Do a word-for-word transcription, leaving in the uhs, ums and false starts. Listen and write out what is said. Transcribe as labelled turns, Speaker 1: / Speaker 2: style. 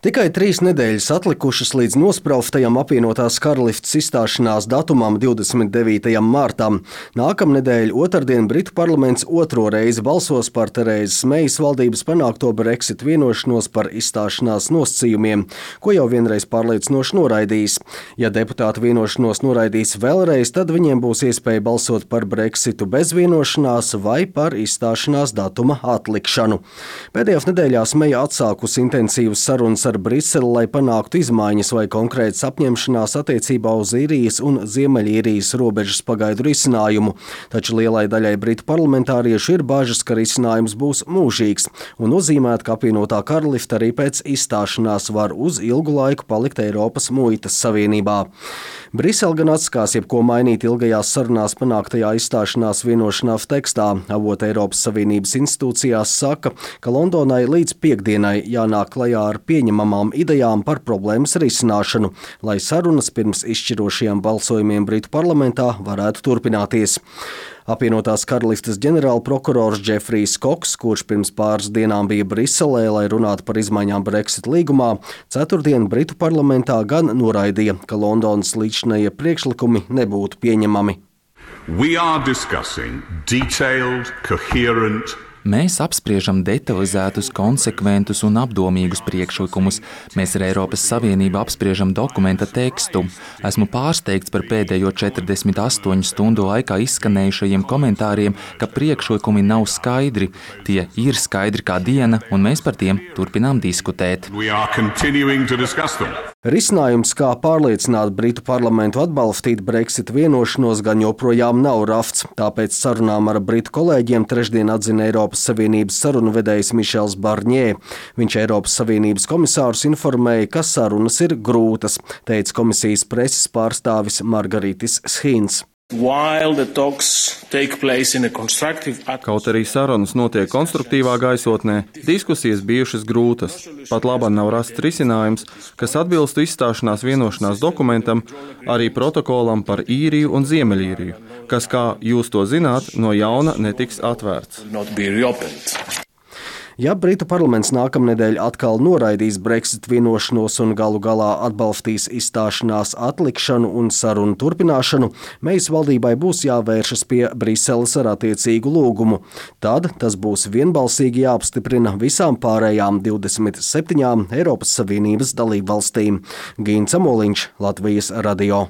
Speaker 1: Tikai trīs nedēļas atlikušas līdz nospraustajam apvienotās karalistes izstāšanās datumam divdesmit devītajam martam. Nākamnedēļ otrdien Britu parlaments otro reizi balsos par Terēzes Meijas valdības panākto Brexit vienošanos par izstāšanās nosacījumiem, ko jau vienreiz pārliecinoši noraidījis. Ja deputāti vienošanos noraidīs vēlreiz, tad viņiem būs iespēja balsot par Brexitu bez vienošanās vai par izstāšanās datuma atlikšanu. Pēdējās nedēļās Meija atsākusi intensīvas sarunas ar Briseli, lai panāktu izmaiņas vai konkrētas apņemšanās attiecībā uz Īrijas un Ziemeļīrijas robežas pagaidu risinājumu, taču lielai daļai britu parlamentāriešu ir bažas, ka risinājums būs mūžīgs un nozīmēt, ka apvienotā karaliste arī pēc izstāšanās var uz ilgu laiku palikt Eiropas muitas savienībā. Brisele gan atskās jebko mainīt ilgajās sarunās panāktajā izstāšanās vienošanās tekstā. Avoti Eiropas Savienības institūcijās saka, ka Londonai līdz piektdienai jānāk klajā ar pieņemamām idejām par problēmas risināšanu, lai sarunas pirms izšķirošajiem balsojumiem Britu parlamentā varētu turpināties. Apvienotās karalistes ģenerālprokurors Džefrijs Koks, kurš pirms pāris dienām bija Briselē, lai runātu par izmaiņām Brexit līgumā, ceturtdien Britu parlamentā gan noraidīja, ka Londonas līdzinējie priekšlikumi nebūtu pieņemami.
Speaker 2: We are discussing detailed, coherent
Speaker 3: Mēs apspriežam detalizētus, konsekventus un apdomīgus priekšlikumus. Mēs ar Eiropas Savienību apspriežam dokumenta tekstu. Esmu pārsteigts par pēdējo četrdesmit astoņu stundu laikā izskanējušajiem komentāriem, ka priekšlikumi nav skaidri. Tie ir skaidri kā diena, un mēs par tiem turpinām diskutēt.
Speaker 1: Risinājums, kā pārliecināt Britu parlamentu atbalstīt Brexit vienošanos, gan joprojām nav rafts. Tāpēc sarunām ar Britu kolēģiem trešdien atzina Eiropas Savienības sarunu vedējs Mišels Barņē. Viņš Eiropas Savienības komisārus informēja, ka sarunas ir grūtas, teica komisijas preses pārstāvis Margaritis Schīns.
Speaker 4: Kaut arī sarunas notiek konstruktīvā gaisotnē, diskusijas bijušas grūtas. Pat labāk nav rasts risinājums, kas atbilstu izstāšanās vienošanās dokumentam, arī protokolam par Īriju un Ziemeļīriju, kas, kā jūs to zināt, no jauna netiks atvērts.
Speaker 1: Ja Britu parlaments nākamnedēļ atkal noraidīs Brexit vienošanos un galu galā atbalstīs izstāšanās atlikšanu un sarunu turpināšanu, Meijas valdībai būs jāvēršas pie Briseles ar attiecīgu lūgumu. Tad tas būs vienbalsīgi jāapstiprina visām pārējām divdesmit septiņām Eiropas Savienības dalībvalstīm. Gīns Amoliņš, Latvijas radio.